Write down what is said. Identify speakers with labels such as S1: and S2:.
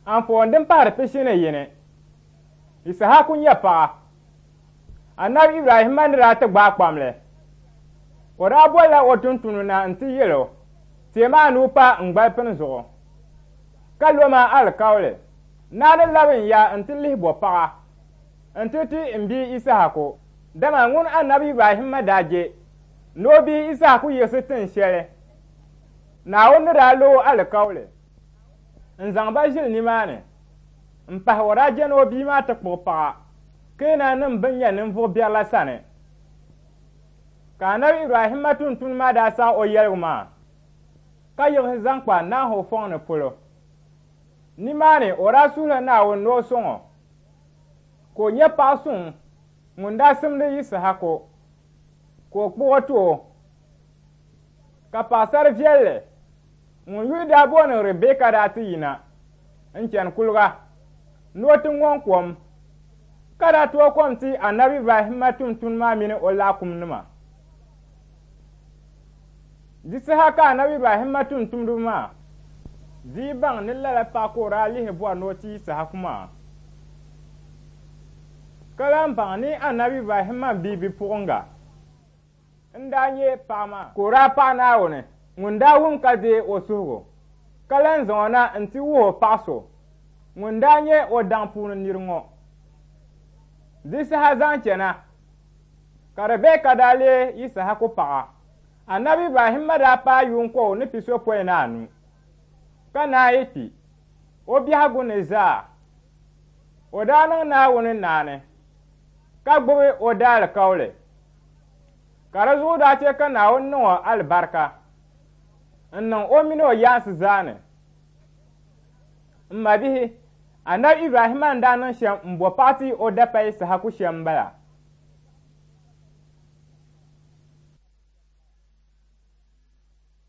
S1: Anfooni din pahiri 21, Yisahaku nyɛ paɣa. Anabi Ibrahima ni daa ti gbaai kpamli, o daa bolila o tuntuni na nti yɛl o, Teemi a nuu pa n gbalipini zuɣu, ka lo ma alikauli ni a ni labi n ya nti lihi bo paɣa nti ti m bia Yisahaku. Dama ŋun Anabi Ibrahima daa je ni o bia Yisahaku yiɣisi tin shɛli Naawuni ni daa lo o alikauli n-zaŋ ba ʒili nimaani m-pahi o daa je ni o bia maa ti kpuɣi paɣa Keenannim bɛn nyɛ ninvuɣ biɛri la sani. Ka Anabi Ibrahimma tuntuni maa daa saɣ o yɛligu maa, ka yiɣisi zaŋ kpa Naho fɔŋ ni polo. Nimaani o daa suhila Naawuni ni o sɔŋ o, ka o nya paɣ suŋ ŋun daa simdi Yisahaku, ka o kpuɣ o ti o. Ka paɣisar viɛlli ŋun yuli daa booni Ribɛka daa ti yina n-chani kuliga ni o ti ŋɔŋ kom, ka daa tooi kom ti Anabi Ibrahimma tumtumdi maa mini o laakumnima. Di saha ka Anabi Ibrahimma tumtumdiba maa dii baŋ ni lala paɣa ka o daa lihi bɔri ni o ti Yisahaku maa, ka lan baŋ ni Anabi Ibrahimma bia bipuɣiŋga n-daa nyɛ paɣa maa. Ka o daa paɣi Naawuni ŋun daa wum ka deei o suhigu, ka lan zaŋ o na nti wuhi o paɣ so ŋun daa nyɛ o daŋ puuni nir ŋɔ. Di saha zaŋ chana, ka Ribɛka daa leei Yisahaku paɣa. Anabi Ibrahimma daa paai yuun kɔbu ni pisopɔin ni anu, ka naai kpi o biɛhigu ni zaa. O daa niŋ Naawuni naani, ka gbibi o daalikauli. Ka di zuɣu daa chɛ ka Naawuni niŋ o alibarika n-niŋ o min o yaansi zaa ni. M mabihi, Anabi Ibrahima ni daa niŋ shɛm m-bo paɣ ti o dapaya Yisahaku shɛm m-bala.